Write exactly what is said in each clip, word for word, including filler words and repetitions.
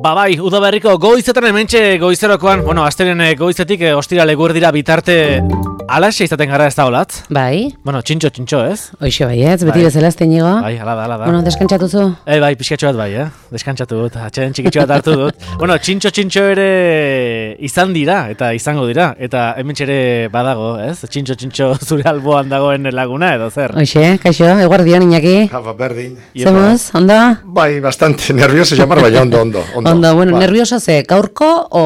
Ba bai, udaberriko goizetan hementxe goizerokoan, bueno, astelen goizetik e, ostirale guerdira bitarte alaxe izaten gara ez da olatz? Bai. Bueno, txintxo, txintxo, ez? Hoixo bai, ez, beti bai. bezala ez teinigo. Bai, ala da, ala da. Bueno, deskantzatu zu? Eh, bai, pixkatxo bat bai, eh? Deskantzatu dut, atxeden txikitxo bat hartu dut. Bueno, txintxo, txintxo ere izan dira, eta izango dira, eta hementxe ere badago, ez? Txintxo, txintxo zure alboan dagoen laguna edo zer? Hoxe, kaixo, eguardion, Iñaki. Japa, berdin. Zemuz, ondo? Bai, bastante nervioso llamar, baina ondo, ondo. Ondo, ondo bueno, ba. Nervioso ze, gaurko o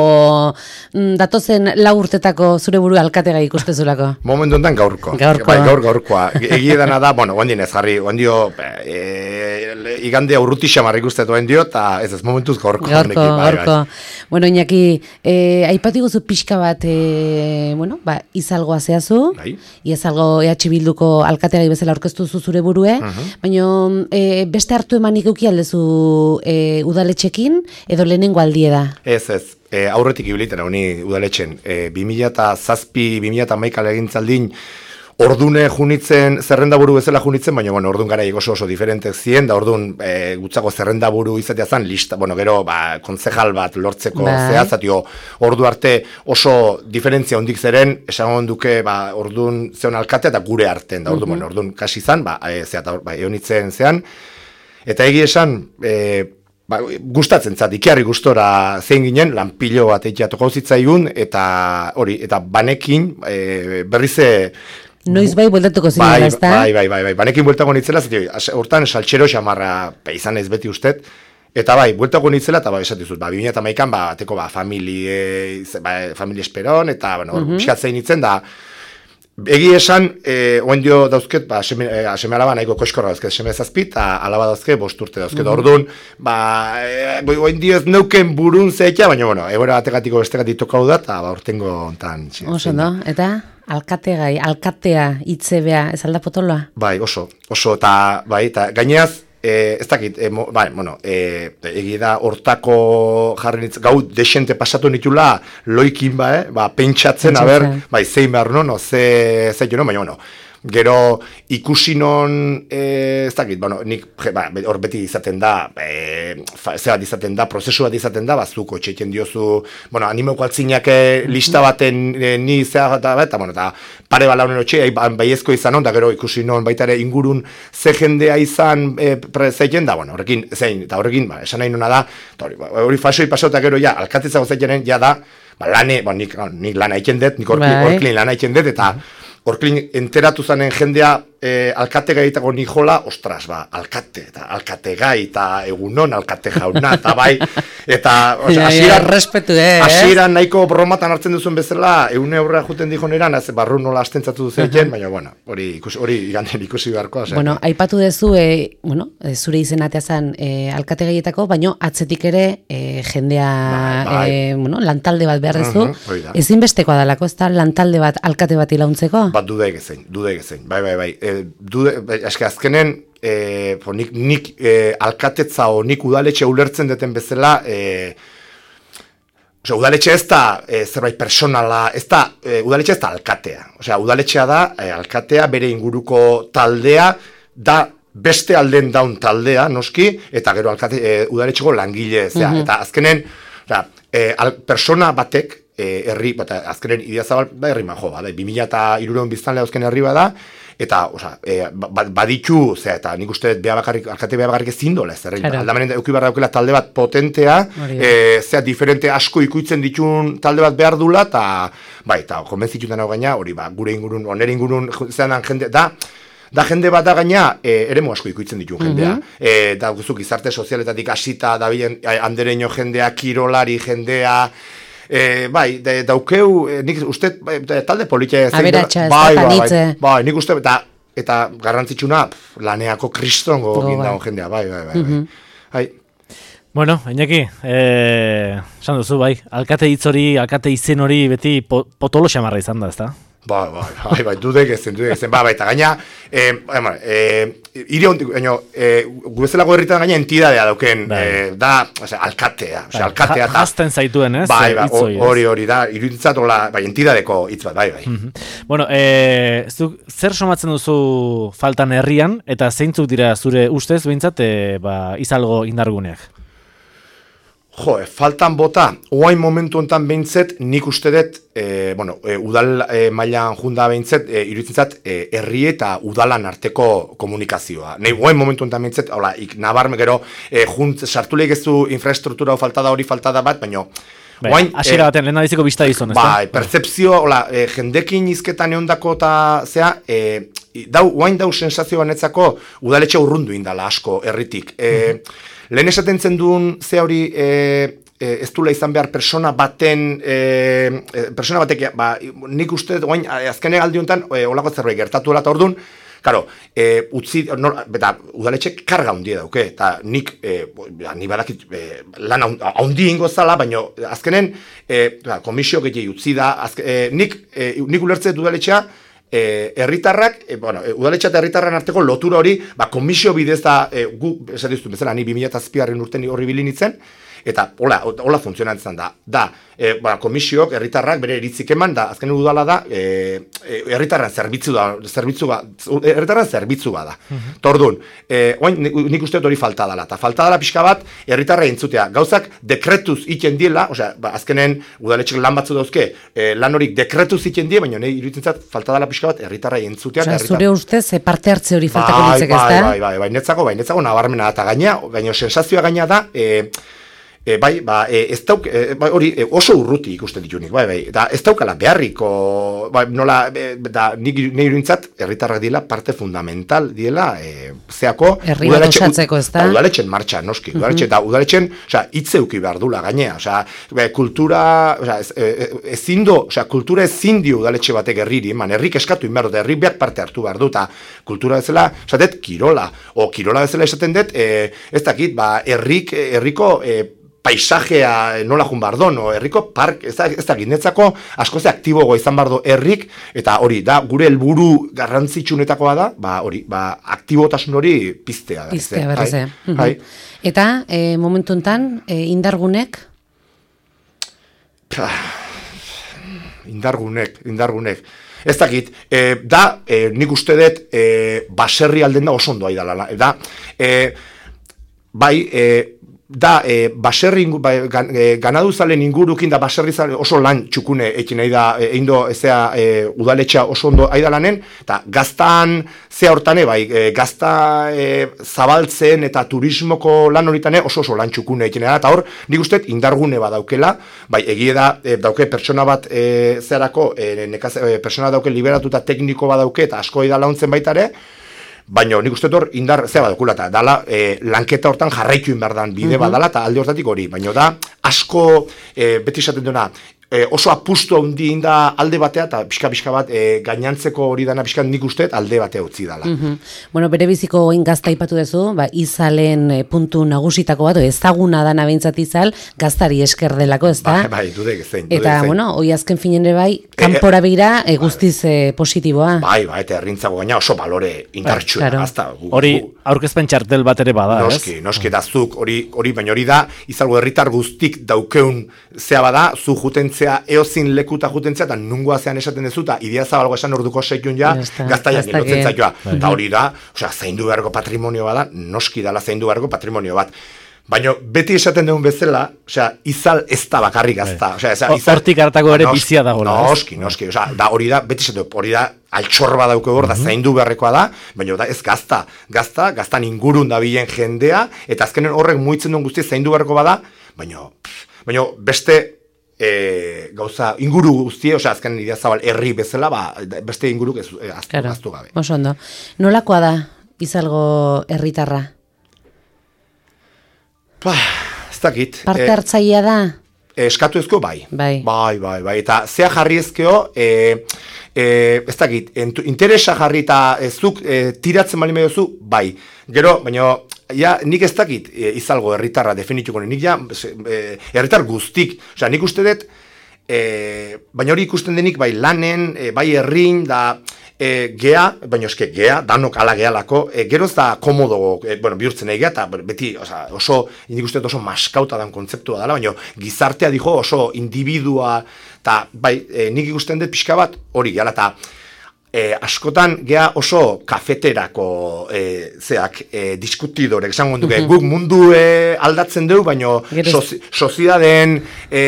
mm, datozen lau urtetako zure buru alkatega ikustezulako? Momentu enten gaurko. Gaurko. Bai, gaur, gaurkoa. Egie dana da, bueno, guandien ez jarri, guandio, e, igandea urruti xamar ikustetu guandio, eta ez ez momentuz gaurko. Gaurko, honeki, bai, gaurko. Bai. Bueno, Iñaki, eh, aipatu guzu pixka bat, eh, bueno, ba, izalgoa zehazu, Bai. izalgo E H Bilduko alkategai bezala aurkeztu zu zure burue, Uh-huh. baina eh, beste hartu emanik euki aldezu eh, udaletxekin, edo lehenengo aldie da? Ez, ez. E, aurretik ibiliten honi udaletxen. E, bi mila zazpi, bi mila hamaika legintzaldin, ordune junitzen, zerrendaburu bezala junitzen, baina, bueno, ordun gara oso oso diferentek ziren, da ordun e, gutzako zerrendaburu izatea zan, lista, bueno, gero, ba, kontzejal bat lortzeko bai. zehazatio, ordu arte oso diferentzia hondik zeren, esan duke, ba, ordun zeon alkate eta gure arten, da ordun, uh-huh. bueno, ordun kasi zan, ba, e, zehat, ba, eonitzen zean, eta egi esan, e, ba, gustatzen zat, ikiarri gustora zein ginen, lanpilo bat eikiatuko zitzaigun, eta hori, eta banekin, e, berrize, Noiz bai bueltatuko zinela, bai, ez da? bai, bai, bai, bai, banekin bueltako nitzela, zeti, hortan saltxero xamarra izan ez beti ustet, eta bai, bueltako nitzela, eta bai, esatizut, ba, bi mila hamaikan, ba, teko, ba, familie, ba, familie esperon, eta, bueno, hor, uh-huh. Piskat zein nitzen, da, egi esan, e, oendio dauzket, ba, seme, e, seme alaba nahiko koiskorra dauzket, seme zazpit, eta alaba dauzket, bost urte dauzket, uh-huh. Orduan, ba, e, oendio ez neuken burun zeitea, baina, bueno, egora bategatiko bestegatik tokau da, eta, ba, urtengo ontan. Oso, no? Eta? Alkategai, alkatea, itzebea, ez alda potoloa? Bai, oso, oso, eta, bai, eta gaineaz, e, ez dakit, e, mo, bai, bueno, e, egi da hortako jarri nitz, gau desente pasatu nitula, loikin, ba, eh, ba, pentsatzen, aber, bai, zein behar non, no, ze, ze, jo, no, baina, bueno, gero ikusi non, e, ez dakit, bueno, nik, ba, hor beti izaten da, e, fa, ze bat izaten da, prozesu bat izaten da, bazuko txeten diozu, bueno, animeko altzinak lista baten e, ni zea eta, eta, bueno, eta pare bala honen otxe, baiezko izan on, da gero ikusi non baita ere ingurun ze jendea izan e, zeiten da, bueno, horrekin, zein, eta horrekin, ba, esan nahi nuna da, hori, ba, hori fasoi pasauta gero, ja, alkatitzago zeitenen, ja da, ba, lane, ba, nik, nik lana egiten dut, nik orklin lana egiten dut, eta orklin enteratu zanen jendea e, alkate gaitako nijola, ostras, ba, alkate, eta alkate gai, eta egunon, alkate jauna, eta bai, eta, osea, hasieran, respetu, eh? Hasieran nahiko bromatan hartzen duzuen bezala, eune aurrera juten dijon eran, ez barru nola astentzatu duzen, baina, bueno, hori ikusi, hori iganden ikusi beharko. Ose, bueno, aipatu dezu, e, bueno, zure izenatea zan e, alkate gaietako, baina atzetik ere e, jendea, bai, bai. E, bueno, lantalde bat behar dezu, uh-huh, ezinbestekoa dalako, ez da, lantalde bat alkate bat ilauntzeko? Bat duda egezein, duda egezein, bai, bai, bai. E, dude, eske azkenen e, po, nik, nik e, alkatetza o nik udaletxe ulertzen deten bezala e, osea, udaletxe ez da e, zerbait personala, ez da, e, udaletxe ez da alkatea, osea, udaletxea da e, alkatea bere inguruko taldea da beste alden daun taldea, noski, eta gero alkate, e, udaletxeko langile, zera, uh-huh. Eta azkenen, osea, e, al, persona batek herri, bata, azkenen Idiazabal ba, herri man jo, bada, bi mila eta hirurogeun biztanle dauzken herri bada, eta, oza, e, baditu, zera, eta nik uste beha bakarrik, alkate beha bakarrik ezin dola ez herri, aldamanen euki behar daukela talde bat potentea, e, zera, diferente asko ikuitzen ditun talde bat behar dula, eta, bai, eta, konbentzituten hau gaina, hori, ba, gure ingurun, onere ingurun, zeran jende, da, da jende bat da gaina, e, eremu asko ikuitzen ditun jendea. Mm-hmm. E, da, guzuk, izarte sozialetatik hasita, da bilen, andereño jendea, kirolari jendea, E, bai, de, daukeu, e, nik uste, de, talde politia zein da, bai, bai, bai, bai, nik uste, eta, eta garrantzitsuna, pf, laneako kristongo oh, gindago bai. Jendea, bai, bai, bai, mm-hmm. bai. Bueno, Iñaki, eh, esan duzu, bai, alkate hitz hori, alkate izen hori beti po, potolo xamarra izan da, ezta? Bai, bai, bai, bai, dudek ezen, dudek ezen, bai, bai, eta gaina, eh, bai, eh, iri hondik, baina, eh, gubezelako herritan gaina entidadea dauken, eh, da, ose, alkatea, ose, alkatea, eta... Jazten zaituen, ez? Bai, bai, hori, hori, da, iruditzatola, bai, entidadeko hitz bat, bai, bai. Mm-hmm. Bueno, eh, zuk, zer somatzen duzu faltan herrian, eta zeintzuk dira zure ustez, behintzat, eh, ba, izalgo indarguneak? Jo, faltan bota, oain momentu hontan behintzet, nik uste dut, e, bueno, e, udal e, mailan junda behintzet, e, iruditzen zat, e, herri eta udalan arteko komunikazioa. Nei, oain momentu hontan behintzet, hola, ik nabarme gero, e, junt, sartuleik ez du infrastruktura faltada hori faltada bat, baina Bai, hasiera baten, lehen adiziko bizta dizon, ez da? Bai, percepzio, hola, e, jendekin izketan eondako eta zea, e, dau, oain dau sensazio banetzako udaletxe urrundu indala asko herritik. E, mm-hmm. Lehen esaten zen duen ze hori e, e, ez dula izan behar persona baten, e, persona batek, ba, nik uste, oain, azkene aldi honetan, e, olako zerbait gertatu dela eta orduan, Karo, e, utzi, no, eta udaletxek karga handia dauke, eta nik, e, ni badakit, e, lan handi ingo zala, baina azkenen, e, komisio gehiago utzi da, azke, e, nik, e, nik ulertze udaletxea, e, herritarrak, e, bueno, e, udaletxea eta herritarren arteko lotura hori, ba, komisio bidez da, e, gu, esan diztu, bezala, ni bi mila zazpigarren urten horri bilinitzen, eta hola, hola funtzionatzen da. Da, e, ba, komisiok, herritarrak bere iritzik eman, da, azken udala da, e, e, herritarren zerbitzu da, zerbitzu ba, herritarren zerbitzu ba da. Mm-hmm. Tordun, e, oain, nik uste hori falta dela, eta falta dela pixka bat, herritarra entzutea. Gauzak dekretuz iten diela, osea, ba, azkenen udaletxek lan batzu dauzke, e, lan horik dekretuz iten die, baina nahi iruditzen zat, falta dela pixka bat, herritarra entzutea. Osea, zure ustez, parte hartze hori faltako ditzek, ez da? Bai, bai, bai, bai, netzako, bai, netzako nabarmena, eta gaina, baina sensazioa gaina da, e, E, bai, ba, e, ez dauk, e, bai, hori e, oso urruti ikusten ditunik, bai, bai, eta ez daukala beharriko, bai, nola, e, da, nik nahi iruintzat, herritarrak diela parte fundamental diela, e, zeako, herri bat osatzeko, ez da? Udaletxen martxa, noski, uh-huh. udaletxen, da, udaletxen, osea, itzeuki behar dula gainea, osea, be, kultura, osea, ez, e, ezin do, osea, kultura ezin dio udaletxe batek herriri, man, herrik eskatu inberdo, eta herrik behar parte hartu behar du, eta kultura bezala, esatet, kirola, o kirola bezala esaten dut, e, ez dakit, ba, herrik, herriko, e, paisajea nola jun bardon, o herriko park, ez da, ez da gindetzako askoze aktibogo izan bardo herrik, eta hori, da, gure helburu garrantzitsunetakoa da, ba, hori, ba, aktibotasun hori piztea da. Piztea, berrez, eh? Bai. Eta, e, momentu enten, e, indargunek? Indargunek, indargunek. Ez dakit, e, da, e, nik uste dut, e, baserri alden da oso ondo aidala, da, e, bai, e, da, e, baserri ba, gan, e, ganaduzalen ingurukin da baserri oso lan txukune ekin nahi da, egin do, ezea, e, udaletxa oso ondo aidalanen, eta gaztan, zea hortane, bai, e, gazta e, zabaltzen eta turismoko lan horitane oso oso lan txukune ekin nahi da, eta hor, nik uste indargune bat daukela, bai, egie da, e, dauke pertsona bat e, zeharako, e, nekaz, e, pertsona dauke liberatuta tekniko bat dauke, eta asko da launtzen baitare, baina nik uste hor indar zea badukula, eta dala e, lanketa hortan jarraitu inberdan bide mm-hmm. badala, eta alde hortatik hori, baina da asko e, beti esaten duena, e, oso apustu handi inda alde batea, eta pixka-pixka bat e, gainantzeko hori dana pixka nik uste alde batea utzi dala. Mm-hmm. Bueno, bere biziko oin gazta ipatu duzu, ba, izalen e, puntu nagusitako bat, ezaguna dana behintzat izal, gaztari esker delako, ez da? Bai, bai, dudek zein. Eta, zein. Bueno, hoi azken finen ere bai, kanpora begira e, guztiz e, positiboa. Bai, bai, eta herrintzago gaina oso balore indartxua. Claro. Gazta, gu, hori aurkezpen txartel bat ere bada, noski, ez? Noski, da zuk, hori, hori, baina hori da, izalgo herritar guztik daukeun zea bada, zu jutentzea eozin lekuta jutentzea, eta nungoa zean esaten dezu, eta idea zabalgo esan orduko seikun ja, gaztaiak ilotzen zaioa. Eta hori da, osea, zaindu beharko patrimonio bada, noski dala zaindu beharko patrimonio bat. Baina beti esaten dugun bezala, osea, izal ez da bakarrik gazta. Osea, izal, hortik hartako ere bizia dagoela. Noski, noski, osea, da hori da, beti esaten dugu, hori da, altxorba dauke hor, da zaindu beharrekoa da, baina da ez gazta. Gazta, gaztan ingurun da bilen jendea, eta azkenen horrek muitzen duen guzti zaindu beharko bada, baina, baina beste, E, gauza, inguru guztie, osea, azken idea zabal herri bezala, ba, beste inguruk ez, e, aztu, claro, aztu gabe. Oso ondo. Nolakoa da, izalgo herritarra? Pa, ez dakit. Parte hartzailea da? E, eskatu ezko, bai. Bai. Bai, bai, bai. Eta zea jarri ezkeo, e, e, ez dakit, interesa jarri eta ezuk e, tiratzen bali mediozu, bai. Gero, baina, ja, nik ez dakit e, izalgo herritarra definituko, nik ja, e, herritar guztik, osea, nik uste dut, e, baina hori ikusten denik, bai lanen, e, bai herrin, da, e, gea, baina eske gea, danok ala gehalako, e, geroz da komodo, e, bueno, bihurtzen egia, eta beti, osea, oso, nik uste dut oso maskauta dan kontzeptua dela, baina gizartea dijo oso individua, eta, bai, e, nik ikusten dut pixka bat, hori gehala, eta, e, askotan gea oso kafeterako e, zeak e, diskutidorek, esango duke, guk mundu e, aldatzen dugu, baino sozi, sozidaden, e,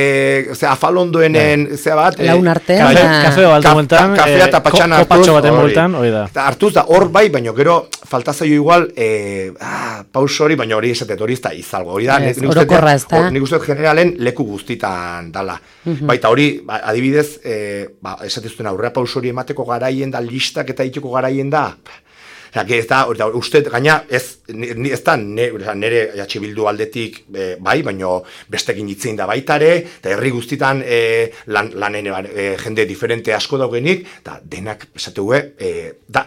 zera, afalondoenen, zera bat, laun artean, kafe, kafeo altu bultan, kafea eta patxana hartuz, kopatxo baten bultan, hori da. Hartuz da, hor bai, baino gero falta zaio igual, e, ah, paus hori, baino hori esatet, hori ez da izalgo, hori da, yes, orokorra ez da. Nik uste generalen leku guztitan dala. Mm-hmm. Baita hori, ba, adibidez, e, ba, esateztuen aurrea paus hori emateko garaien da, listak eta iteko garaien da, Osa, ez da, uste, gaina, ez, ez da, ne, nire jatxe bildu aldetik e, bai, baino bestekin hitzein da baitare, eta herri guztitan e, lan, lanen e, jende diferente asko daugenik, eta denak, esategue, e, da,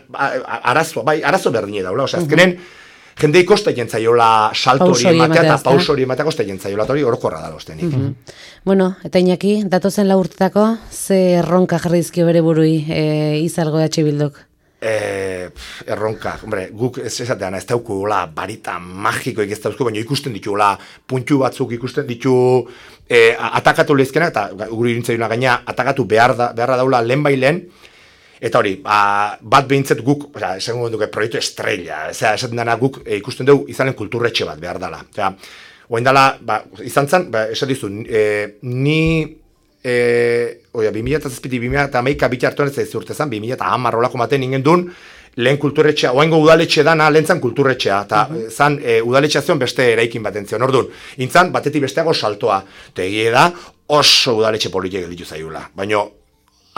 arazo, bai, arazo berdine daula, osa, azkenen, jendei kosta jentzaiola salto hori ematea eta paus hori ematea kosta jentzaiola, eta hori orokorra da loztenik. Mm-hmm. Bueno, eta Iñaki, datozen lau urtetako, ze erronka jarri dizkio bere burui e, izalgo H Bilduk? Eh, erronka, hombre, guk ez esatean ez daukula barita magikoik ez dauzko, baina ikusten ditula puntu batzuk ikusten ditu eh, atakatu lehizkenak, eta guri irintzaiuna gaina atakatu behar da, beharra daula lehen bai lehen, eta hori, ba, bat behintzet guk, oza, esango duke, proiektu estrella, eza, esaten dana guk e, ikusten dugu izanen kulturretxe bat behar dala. Oza, oain dala, ba, izan zen, ba, esatizu, e, ni... E, oia, bi mila zazpiti, bi mila hamaika biti hartuan ez ez urte zen, bi mila hamar rolako maten ingen duen, lehen kulturretxea, oaingo udaletxe dana, lehen zan kulturretxea, eta uh-huh. zan e, udaletxea zion beste eraikin baten zion, orduan, intzan, batetik besteago saltoa, eta egie da, oso udaletxe politik gelditu zaiula, baina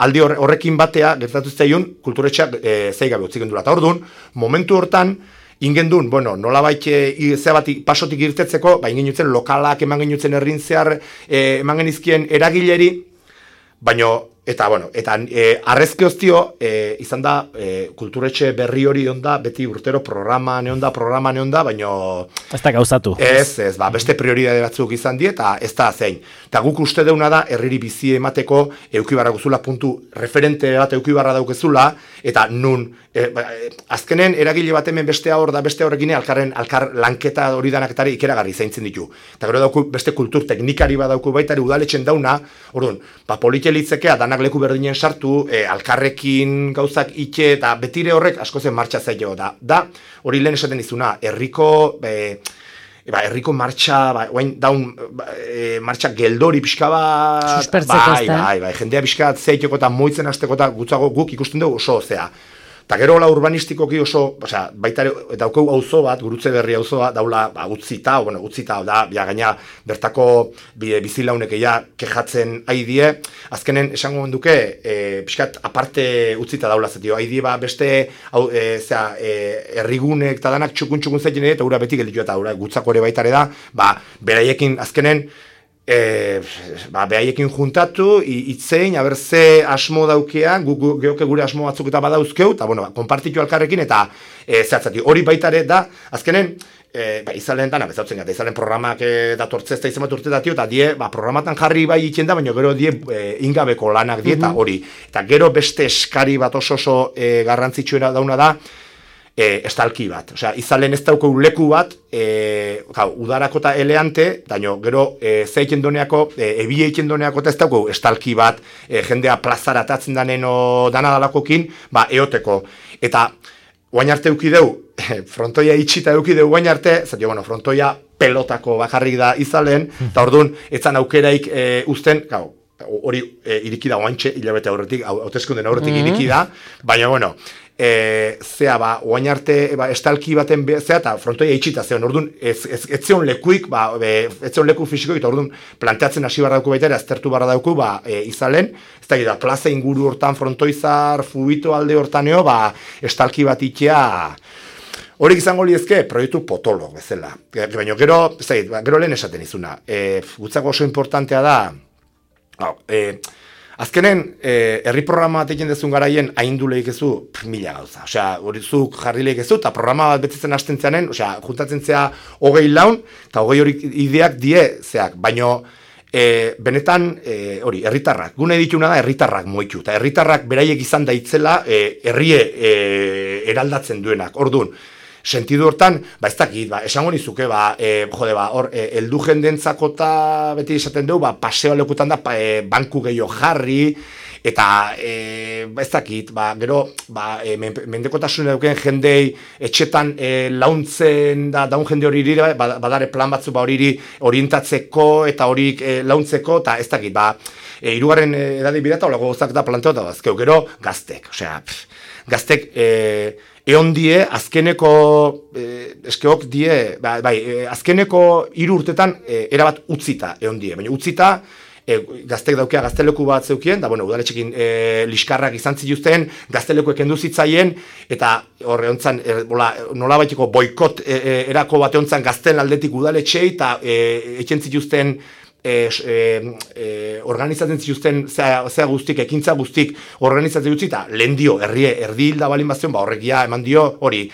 aldi horrekin batea, gertatu zaiun, kulturretxea e, zeigabe utzik endura, eta orduan, momentu hortan, ingen duen, bueno, nola baite zea bat pasotik irtetzeko, ba, ingen jutzen lokalak eman genutzen errin zehar, e, eman genizkien eragileri, baino, eta, bueno, eta e, arrezke hoztio, e, izan da, e, kulturetxe berri hori onda, beti urtero programa neonda, programa neonda, baino... Ez da gauzatu. Ez, ez, ba, beste prioridade batzuk izan die, eta ez da zein. Eta guk uste deuna da, herriri bizi emateko, eukibarra guzula, puntu referente bat eukibarra daukezula, eta nun, e, ba, e, azkenen eragile bat hemen beste hor da, beste horrekin alkarren, alkar lanketa hori danaketari ikeragarri zaintzen ditu. Eta gero dauku beste kultur teknikari bat dauku baitari udaletxen dauna, orduan, ba, politelitzekea danak leku berdinen sartu, e, alkarrekin gauzak itxe, eta betire horrek asko zen martxa zailo da. Da, hori lehen esaten izuna, herriko... E, Ba, herriko martxa, ba, oain daun ba, e, martxa geldori pixka bat, suspertzeko bai, bai, bai, jendea pixka zeiteko eta moitzen hasteko eta gutzago guk ikusten dugu oso, zea. Eta gero hola urbanistikoki oso, osea, baita daukeu auzo bat, gurutze berri auzoa, daula ba, utzita, bueno, utzita, da, ja, gaina bertako bizilaunek ja kejatzen aidie, azkenen esango duke, e, pixkat aparte utzita daula zetio, aidie ba beste, hau, e, zera, e, errigunek eta danak txukun-txukun zaiten eta ura beti gelditu eta ura gutzako ere baitare da, ba, beraiekin azkenen, E, ba, behaiekin juntatu, itzein, haber ze asmo daukean, gu, gu, geoke gure asmo batzuk eta badauzkeu, eta bueno, konpartitu alkarrekin, eta e, zehatzati, hori baitare da, azkenen, e, ba, izalen dana, bezautzen gata, izalen programak e, datortzez eta izan bat urte datio, eta die, ba, programatan jarri bai itxen da, baina gero die e, ingabeko lanak die, eta mm-hmm. hori, eta gero beste eskari bat oso oso e, garrantzitsuena dauna da, E, estalki bat, osea, izalen ez dauko leku bat, e, gau, udarako eta eleante, daño, gero, e, zeiken doneako, e, ebie eiken doneako eta ez dauko estalki bat, e, jendea plazara atatzen danen o dana dalakokin, ba, eoteko. Eta, guain arte eukideu, frontoia itxita eukideu guain arte, zato, bueno, frontoia pelotako bakarrik da izalen, eta orduan, etzan aukeraik e, uzten, gau, hori e, irikida guaintxe, hilabete aurretik, hauteskunden aurretik mm-hmm. irikida, baina, bueno, E, zea ba, oain arte ba, estalki baten be, zea eta frontoia itxita zeon, orduan ez, ez, ez zeon lekuik, ba, be, ez zeon leku fisikoik, eta orduan planteatzen hasi barra dauku baita ere, aztertu barra dauku, ba, e, izalen, ez da, da, plaza inguru hortan frontoizar, fubito alde hortaneo, ba, estalki bat itxea, horiek izango liezke, proiektu potolo, bezala. Baina gero, ez da, ba, gero lehen esaten izuna, e, gutzako oso importantea da, hau, e, azkenen, eh, herri programa bat egin dezun garaien haindu lehikezu mila gauza. Osea, hori zuk jarri lehikezu, eta programa bat betzitzen hasten zeanen, osea, juntatzen zea hogei laun, eta hogei hori ideak die zeak, baino, e, benetan, e, hori, herritarrak, gune dituna da herritarrak moitu, eta herritarrak beraiek izan daitzela e, herrie e, eraldatzen duenak, orduan, sentidu hortan, ba ez dakit, ba, esango nizuke, ba, e, jode, ba, hor, e, eldu jendentzako eta beti esaten dugu, ba, paseo lekutan da, pa, e, banku gehiago jarri, eta e, ez dakit, ba, gero ba, e, mendekotasun eduken jendei etxetan e, launtzen da daun jende hori iri, ba, badare plan batzu ba, hori orientatzeko eta hori e, launtzeko, eta ez dakit, ba, e, irugarren edade bidata, holako gozak da planteota bazkeu, gero gaztek, osea, pff, gaztek, e, eon die, azkeneko, e, eskeok die, bai, bai e, azkeneko hiru urtetan e, erabat utzita eon die, baina utzita, e, gaztek daukea gazteleku bat zeukien, da, bueno, udaletxekin e, liskarrak izan zituzten, gaztelekuek kendu zitzaien, eta horre ontzan, e, nola baiteko boikot e, e, erako bate ontzan gazten aldetik udaletxei, eta e, etxen zituzten, E, e, e, organizatzen zituzten zea, zea guztik, ekintza guztik organizatzen dutzi, eta lehen dio, herrie, erdi hilda balin bazion, ba horrekia eman dio hori.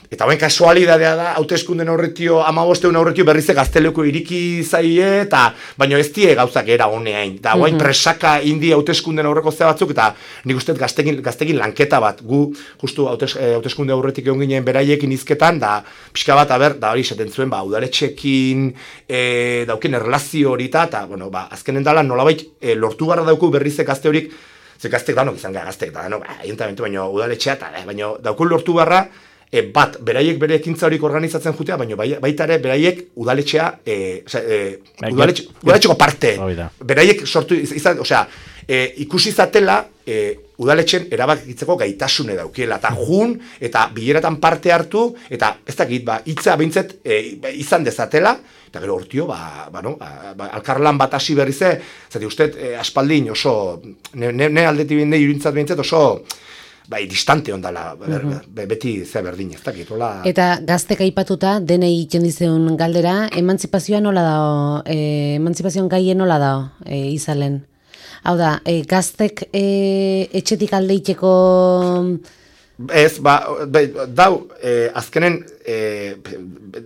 Eta hauen kasualidadea da, hauteskunden aurretio, amabosteun aurretio berrize gazteleko iriki zaie, eta baino ez die gauzak era honeain. Eta hauen mm -hmm. presaka indi hauteskunden aurreko zea batzuk, eta nik uste gaztekin, gaztekin lanketa bat, gu justu hautes, hauteskunde aurretik egon ginen beraiekin izketan, da pixka bat, aber, da hori esaten zuen, ba, udaletxekin e, dauken erlazio hori eta, bueno, ba, azkenen dala nolabait e, lortu gara dauku berrize gazte horik, ze gaztek danok izan gara gaztek, da, no, ba, ayuntamentu baino udaletxea, eta baino daukun lortu barra, E, bat, beraiek bere ekintza horik organizatzen jutea, baina baita ere beraiek udaletxea, e, oza, e, udaletxe, udaletxeko parte, beraiek sortu, izan, osea, e, ikusi zatela, e, udaletxen erabakitzeko gaitasune daukiela, eta jun, eta bileratan parte hartu, eta ez dakit, ba, hitza bintzet e, izan dezatela, eta gero hortio, ba, ba, no, ba, ba, alkarlan bat hasi berrize, zati uste, e, aspaldin oso, ne, ne, ne aldeti binde iruditzat bintzet oso, bai, distante ondala, uh-huh. beti ze berdin, ez dakit, hola... Eta gaztek aipatuta, denei itxen dizeun galdera, emantzipazioa nola dao, e, emantzipazioan gaien nola dao, e, izalen? Hau da, e, gaztek e, etxetik aldeiteko... Ez, ba, dau, e, azkenen, e,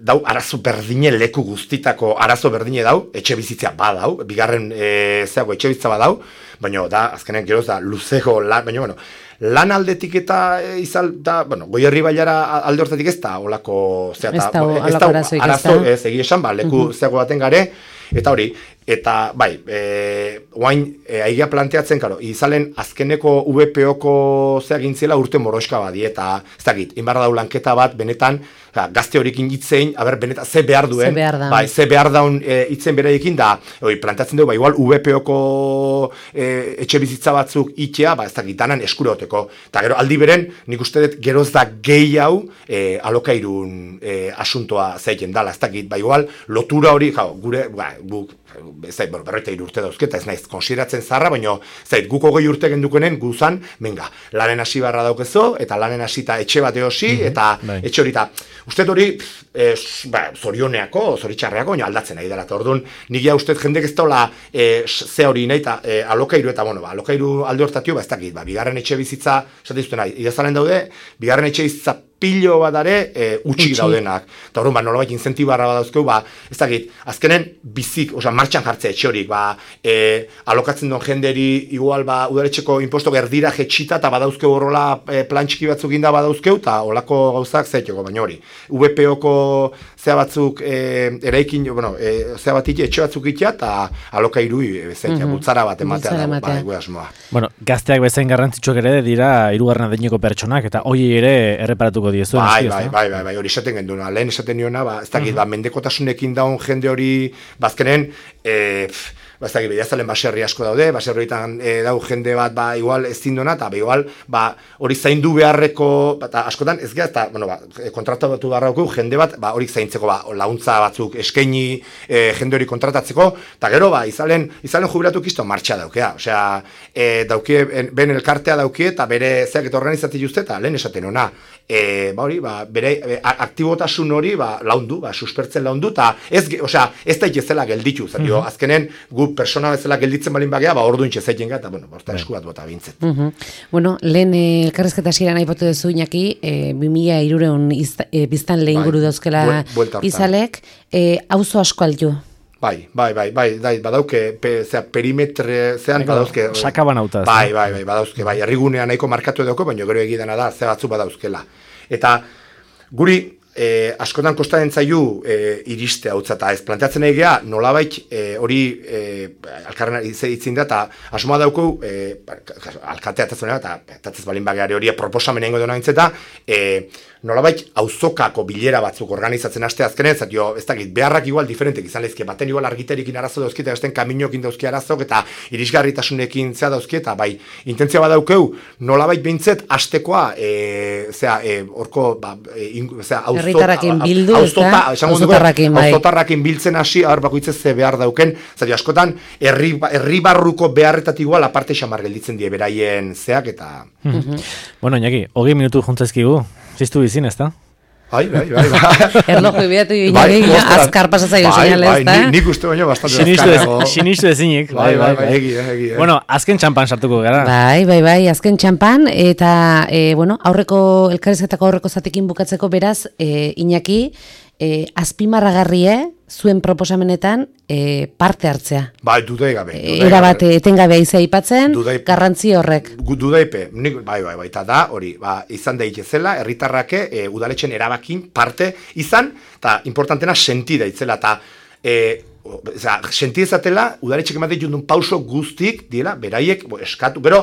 dau, arazo berdine leku guztitako arazo berdine dau, etxe bizitzea badau, bigarren e, zeago etxe bizitza badau, baina da, azkenen geroz da, luzego, la, baina, bueno, lan aldetik eta e, izal, da, bueno, Goierri bailara alde hortatik ez da, olako, zea, ez da, ez da, arazoik, arazo, ez, egi esan, ba, leku uh-huh. zeago baten gare, eta hori, eta, bai, e, oain, e, aigia planteatzen, karo, izalen azkeneko U B P O-ko zea gintziela urte moroska badi, eta, ez dakit, inbarra dau lanketa bat, benetan, ja, gazte horikin hitzein, aber, benetan, ze behar duen, ze behar daun, bai, ze behar daun e, hitzen beraiekin, da, hori, planteatzen dugu, ba, igual, U B P O-ko e, etxe bizitza batzuk itea, ba, ez dakit, danan eskureoteko, eta gero, aldi beren, nik uste dut, geroz da gehi hau, e, alokairun e, asuntoa zeiken dala, ez dakit, ba, igual, lotura hori, jau, gure, ba, guk, zait, bueno, berroita urte dauzketa, ez naiz, konsideratzen zarra, baina, zait, guko goi urte gendukenen guzan, menga, lanen hasi barra daukezo, eta lanen hasita etxe bat eosi, mm-hmm, eta bai. Etxe hori, eta uste hori, e, ba, zorioneako, zoritxarreako, baina aldatzen nahi dela, eta orduan, nigia uste jendek ez daula e, ze hori nahi, eta e, alokairu, eta bueno, ba, alokairu alde hortatio, ba, ez dakit, ba, bigarren etxe bizitza, esate izuten nahi, idazalen daude, bigarren etxe bizitza pilo bat dare e, utxik daudenak. Eta horren, ba, nolabait incentibarra badauzkeu, ba, ez dakit, azkenen bizik, osea, martxan jartzea etxe horik, ba, e, alokatzen duen jenderi, igual, ba, udaletxeko imposto gerdira jetxita, eta badauzkeu horrola e, plan txiki batzuk inda badauzkeu, eta olako gauzak zaiteko, baina hori. U B P O-ko zea batzuk e, eraikin, bueno, e, zea bat ite, etxe batzuk itea, eta alokairu zaitea, mm-hmm. bultzara bat ematea dago, ba, egu asmoa. Bueno, gazteak bezain garrantzitsuak ere dira hirugarren adineko pertsonak, eta hoi ere erreparatuko diezu. Bai, bai, bai, bai, bai, hori esaten genduna, lehen esaten niona, ba, ez dakit, uh-huh. ba, mendekotasunekin daun jende hori, bazkenen, e, ba, ez dakit, bediazalen baserri asko daude, baserri horietan e, dau jende bat, ba, igual ez zindona, eta ba, igual, ba, hori zaindu beharreko, eta askotan, ez gara, eta, bueno, ba, kontratatu beharrako jende bat, ba, hori zaintzeko, ba, launtza batzuk eskaini e, jende hori kontratatzeko, eta gero, ba, izalen, izalen jubilatu kisto martxa daukea, osea, e, dauke, ben elkartea dauke, eta bere zeak eta organizati juzte, eta lehen esaten ona, e, ba, hori, ba, bere e, aktibotasun hori, ba, laundu, ba, suspertzen laundu, eta ez, osea, ez da itezela gelditu, zatio, uh-huh. azkenen, gu persona bezala gelditzen balin bagea, ba, orduan txezaiten gara, eta, bueno, borta esku bat bota bintzet. Uh-huh. Bueno, lehen elkarrezketa hasieran aipatu duzu Iñaki, e, bi mila hiruehun e, biztan lehen guru dauzkela izalek, e, auzo asko altu. Bai, bai, bai, bai, bai, badauke, pe, zera, perimetre, zean, badauzke. Sakaban autaz. Bai, bai, bai, badauzke, bai, herrigunean nahiko markatu edoko, baina gero egidana da, ze batzu badauzkela. Eta, guri, E, askotan kostatzen zaiu e, iriste hau eta ez planteatzen egea nolabait e, hori e, alkarren itzin da, eta asmoa dauku, e, alkatea eta zonera, eta etatzez balin bageari hori proposamen egingo dena intzeta, e, nolabait auzokako bilera batzuk organizatzen haste azkenen, zat jo, ez dakit, beharrak igual diferentek izan lezke, baten igual argiterikin arazo dauzki, eta esten kaminokin dauzki arazok, eta irisgarritasunekin zea dauzki, eta bai, intentzia badaukeu, nolabait behintzet, hastekoa, e, zea, e, orko, ba, e, in, zea, herritarrakin bildu, auzota, auzotarrakin, bai. Auzotarrakin biltzen hasi, hor bakoitzez ze behar dauken, zat jo, askotan, herri, herri barruko beharretatik igual, aparte xamar gelditzen die beraien zeak, eta... Mm-hmm. Bueno, Iñaki, hogei minutu juntzezkigu, ziztu bizin, ez da? Bai, bai, bai, bai. Erloju ibiatu Iñaki, azkar pasazaio zinale, ez da? Nik uste baino bastante azkarrago. Sinistu ezinik. Bai, bai, bai, egi, egi. Bueno, azken txampan sartuko gara. Bai, bai, bai, azken txampan, eta, e, bueno, aurreko, elkarrizketako aurreko zatekin bukatzeko beraz, e, Iñaki, e, azpimarragarrie, zuen proposamenetan e, parte hartzea. Bai, dudai gabe. Era bat etengabea izea aipatzen, garrantzi horrek. Dudaipe, nik, bai, bai, bai, eta da, hori, ba, izan daitezela, herritarrake e, udaletxen erabakin parte izan, eta importantena senti daitzela, eta e, Oza, senti ezatela, udaletxek ematen jundun pauso guztik, diela, beraiek, bo, eskatu, gero,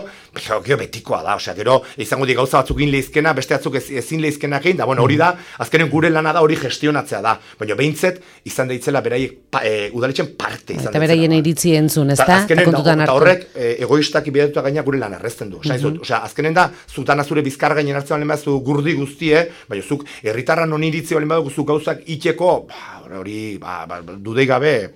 gero betikoa da, osea, gero, izango di gauza batzuk in leizkena, beste batzuk ez, ezin leizkenak egin, da, bueno, hori da, azkenen gure lana da, hori gestionatzea da, baina behintzet, izan daitzela beraiek pa, e, udaletxen parte izan eta beraien iritzi entzun, ez da? Azkenen, da, eta horrek, e, egoistak ibidatuta gaina gure lan errezten du, osea, mm -hmm. azkenen da, zutana zure bizkar gainen hartzen balen bazu gurdi guztie, baina zuk, herritarra non iritzi balen badugu zuk gauzak itxeko, hori, ba, ba, dudei gabe,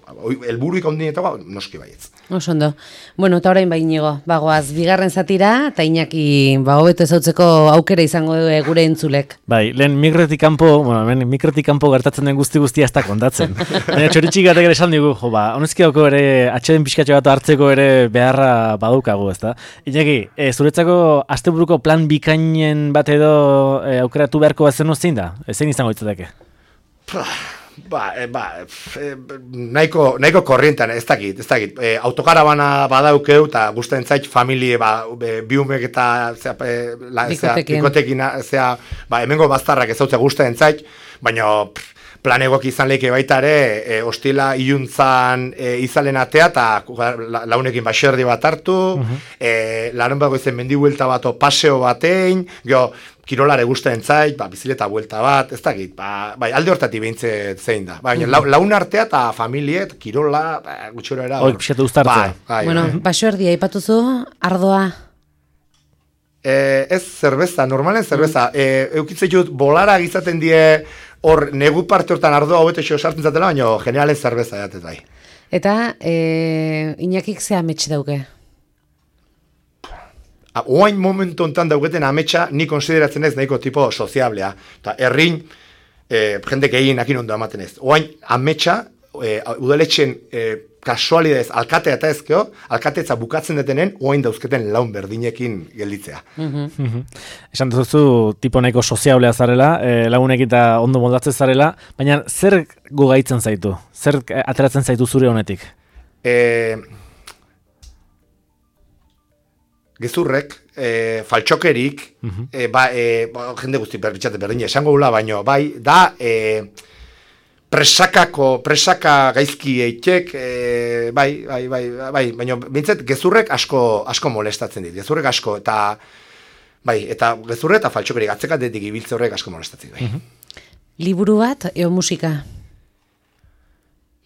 helburuik ondinetagoa, noski baietz. Osondo. Bueno, eta orain bainigo, bagoaz, bigarren zatira, eta Iñaki, ba, hobeto ezautzeko aukera izango du gure entzulek. Bai, lehen mikrotik kanpo, bueno, lehen mikrotik kanpo gertatzen den guzti guztia ez da kontatzen. Baina txoritxik gatek ere esan digu, jo, ba, honezki dauko ere, atxeden pixkatxo bat hartzeko ere beharra badukagu, ez da? Iñaki, e, zuretzako asteburuko plan bikainen bat edo e, aukeratu beharko bat zen zein da? Zein izango ditzateke? Ba, e, ba, e, nahiko, nahiko korrientan, ez dakit, ez dakit. E, autokarabana badaukeu, eta guztien zait, familie, ba, biumek eta zea, e, la, zea, bikotekin, zea, ba, hemengo baztarrak ez zautze guztien zait, baina plan egok izan lehike baita ere, e, ostila iluntzan e, izalen atea, eta la, launekin baserdi bat hartu, uh -huh. e, laren bago izen mendi buelta bat o paseo batein, geho, kirolare guztien zait, ba, bizileta buelta bat, ez dakit, ba, bai, alde hortatik behintzet zein da. Baina, la, laun artea eta familiet, kirola, ba, gutxora era. Hoi, pixetu uztartzea. Bai, bai, bueno, bai. baserdia aipatuzu, ardoa. E, ez zerbeza, normalen zerbeza. E, eukitzen dut, bolara gizaten die, hor, negu parte hortan ardoa hobeto xo sartzen zatela, baina generalen zerbeza jatez bai. Eta, e, Iñakik ze amets dauke? Oain momentu ontan dauketen ametsa, ni konsideratzen ez nahiko tipo soziablea. Eta errin, e, jendek egin akin ondo ematen ez. Oain ametsa, e, udaletxen e, kasualidez, alkatea eta ezkeo, alkateetza bukatzen detenen, oain dauzketen laun berdinekin gelditzea. Mm -hmm. Esan duzu, tipo nahiko soziablea zarela, e, launekin eta ondo moldatzen zarela, baina zer gogaitzen zaitu? Zer ateratzen zaitu zure honetik? E, gezurrek, e, faltxokerik, mm -hmm. e, ba, e, ba, jende guzti berbitxate berdine, esango gula, baino, bai, da, e, presakako, presaka gaizki eitek, e, bai, bai, bai, bai, baina bintzet gezurrek asko, asko molestatzen dit, gezurrek asko, eta, bai, eta gezurre eta faltxokerik, atzekatetik ibiltze horrek asko molestatzen dit, bai. Mm -hmm. Liburu bat, eo musika?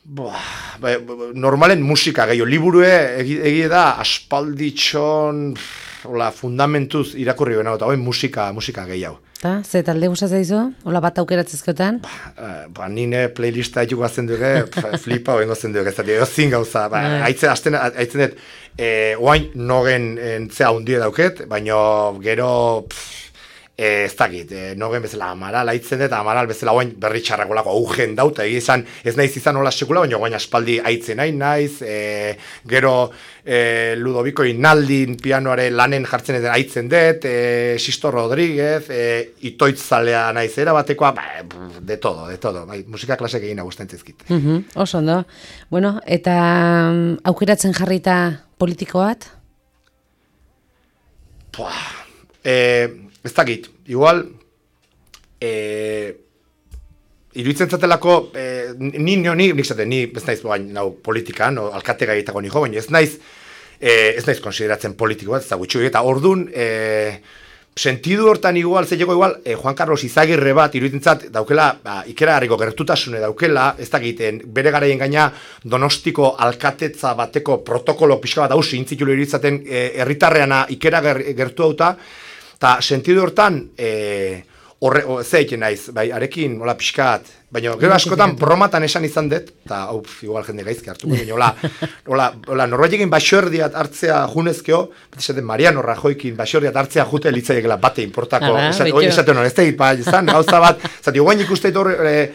Boa, bai, normalen musika gehiago, liburue egie egi da aspalditxon, hola, fundamentuz irakurri bena, eta bai, musika, musika gehiago. Eta, ze talde gustatzen dizu? Hola bat aukeratzezkotan? Ba, ba, nine playlista haitu guazen duge, flipa hoen gozen duge, ez da, zin gauza, ba, haitzen, azten, haitzen dut, e, oain nogen entzea hundie dauket, baina gero, pff, E, ez dakit, e, nogen bezala amaral haitzen dut, amaral bezala oain berri txarrakolako augen dauta, egia izan, ez naiz izan hola sekula, baina oain aspaldi haitzen nahi naiz, e, gero e, Ludoviko Inaldin pianoare lanen jartzen edo haitzen dut, e, Sisto Rodríguez, e, itoitzalea naiz erabatekoa, ba, de todo, de todo, bai, musika klasek egin agusten zizkit. Uh -huh, oso ondo. Bueno, eta um, aukeratzen jarrita politiko bat? Puah, e, ez dakit, igual, e, iruditzen zatelako, eh, ni, ni, ni, nik zaten, ni ez naiz bain, nau, politikan, o, alkate gaietako nijo, baina ez naiz, eh, ez naiz konsideratzen politiko bat, ez da gutxu, eta ordun, eh, sentidu hortan igual, zeiteko igual, eh, Juan Carlos Izagirre bat, iruditzen daukela, ba, ikeragarriko gertutasune daukela, ez dakiten, bere garaien gaina Donostiko alkatetza bateko protokolo pixka bat hausi, intzitulo iruditzen herritarreana eh, ikera gertu dauta, eta sentidu hortan, eh, horre, zeiken naiz, bai, arekin, hola, pixkat, baina gero askotan bromatan esan izan dut, eta, hau, igual jende gaizki hartu, baina, hola, hola, hola, norbaitekin baixordiat hartzea junezkeo, bat esaten Mariano Rajoykin baixordiat hartzea jute litzaiekela bate importako, hori esaten hori, ez da, ba, izan, gauza bat, zati, guain ikusteit hor, e,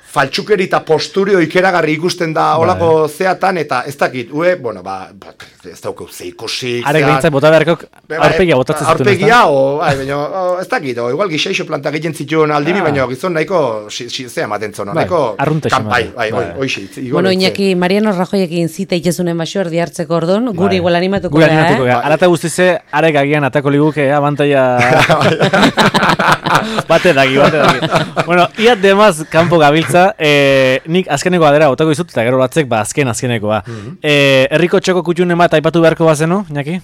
faltsukeri eta posturio ikeragarri ikusten da olako zeatan, eta ez dakit, ue, bueno, ba, ba ez daukeu zeikusik. Arek behintzat bota beharkok aurpegia botatzen zituen. Aurpegia, o, bai, baina, ez dakit, o, igual gixeixo planta egiten zituen aldibi, baina gizon nahiko, zea maten zono, nahiko, kampai, bai, oixe. Bueno, Iñaki, Mariano Rajoyekin zita itezunen baixor dihartzeko ordon, guri igual animatuko da, eh? Guri animatuko da, arata guztize, arek agian atako liguke, abantaia... Bate daki, bate daki. Bueno, iat demaz kanpo gabiltza, eh, nik azkeneko adera botako izut, eta gero batzek, ba, azken azkenekoa. Eh, herriko txoko kutxun ema aipatu beharko bazenu, Iñaki?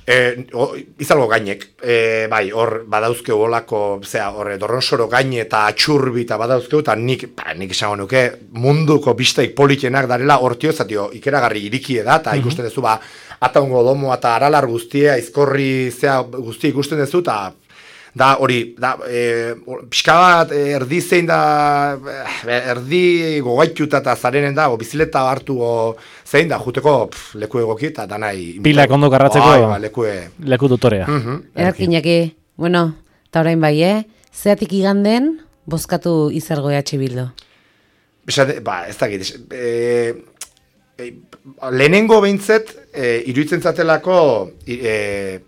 Eh, o, izalgo gainek, eh, bai, hor badauzkeu olako, zera, horre, dorronsoro gaine eta atxurbi eta badauzkeu, eta nik, ba, nik esango nuke, munduko bistaik politenak darela, hortio, zatio, ikeragarri irikie da, eta ikusten duzu, ba, ataungo domo eta aralar guztia, izkorri, zea, guztia ikusten duzu, eta da hori, da, e, pixka bat erdi zein da, erdi gogaituta eta zarenen da, o bizileta hartu o zein da, juteko pf, leku egoki eta danai... Pilak ondo karratzeko oh, ba, leku, e... leku dutorea. Uh -huh. Erkinaki, bueno, eta orain bai, eh? Zeatik iganden, bozkatu Izargo E H Bildu? Besate, ba, ez dakit, e, e, lehenengo behintzet, e, iruditzen zatelako, e,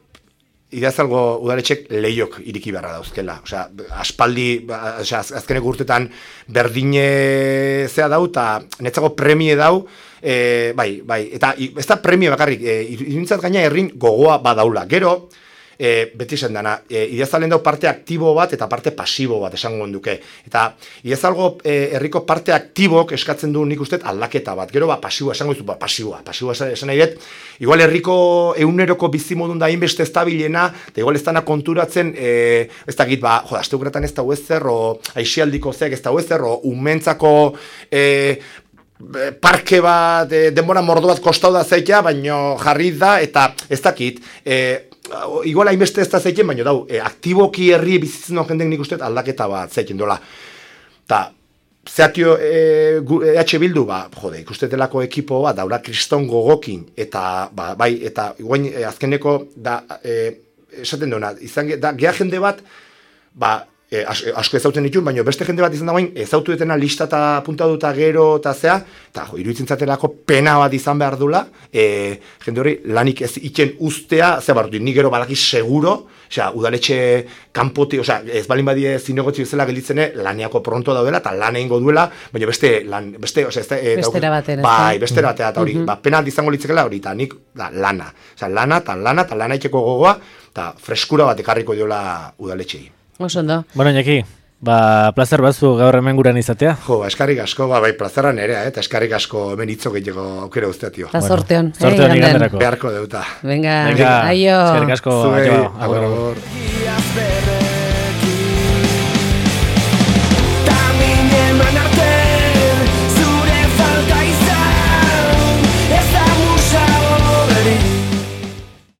Idazalgo udaletxek lehiok iriki beharra dauzkela. Osea, aspaldi, osea, azkeneko urtetan berdine zea dau, eta netzako premie dau, e, bai, bai, eta ez da premie bakarrik, e, iruditzat gaina herrin gogoa badaula. Gero, e, beti esan dana, e, idazalen dau parte aktibo bat eta parte pasibo bat esango duke. Eta idazalgo e, herriko parte aktibok eskatzen du nik uste aldaketa bat. Gero, ba, pasiboa esango duzu, ba, pasiboa, pasiboa esan nahi dut, igual herriko euneroko bizimodun da inbeste estabilena, eta igual ez dana konturatzen, e, ez dakit, ba, joda, asteukratan ez da huezer, o aixialdiko zeak ez da huezer, o umentzako e, parke bat, e, denbora mordo bat kostau da zeitea, baino jarri da, eta ez dakit, e, igual hainbeste ez da zeiten, baina dau, e, aktiboki herri bizitzen no jendek nik usteet aldaketa bat zeiten dola. Ta, zeatio e, E H Bildu, ba, jode, ikustetelako ekipo bat, daura kriston gogokin, eta, ba, bai, eta iguain e, azkeneko, da, e, esaten duena, izan, da, geha jende bat, ba, E, as, asko ezautzen ditun, baina beste jende bat izan dagoen ezautu detena lista eta puntaduta gero eta zea, eta jo, iruditzen zatelako pena bat izan behar dula, e, jende hori lanik ez iken ustea, zea barrutu, ni gero badaki seguro, osea, udaletxe kanpoti, osea, ez balin badie zinegotzi bezala gelitzene, laniako pronto daudela, eta lan egingo duela, baina beste, lan, beste, osea, ez da, e, bestera batera, bai, bestera batera, eta hori, uh -huh. ba, pena izango litzekela hori, eta nik, da, lana, osea, lana, eta lana, eta lana itxeko gogoa, eta freskura bat ekarriko diola udaletxei. Oso ondo. Bueno, Iñaki, ba, plazer batzu gaur hemen guran izatea. Jo, ba, eskarrik asko, ba, bai, plazerra nerea, eh, eta eskarrik asko hemen hitzok egiteko aukera guztia, tio. Eta sorteon. Sorteon iganderako. Beharko deuta. Venga, Venga, aio. Eskarrik asko, Zuei, aio. agur, agur.